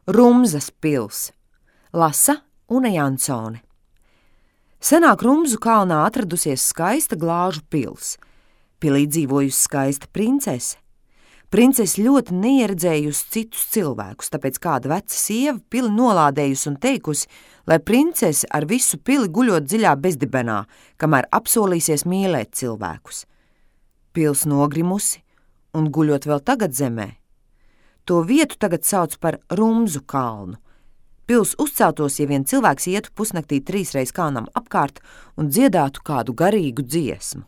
Rumzas pils. Lasa Una Jansone. Senāk Rumzu kalnā atradusies skaista glāžu pils. Pilī dzīvojusi skaista princese. Princese ļoti neieredzējusi citus cilvēkus, tāpēc kāda veca sieva pili nolādējusi un teikusi, lai princese ar visu pili guļot dziļā bezdibenā, kamēr apsolīsies mīlēt cilvēkus. Pils nogrimusi un guļot vēl tagad zemē. To vietu tagad sauc par Rumzu kalnu. Pils uzceltos, ja vien cilvēks ietu pusnaktī 3 reiz kalnam apkārt un dziedātu kādu garīgu dziesmu.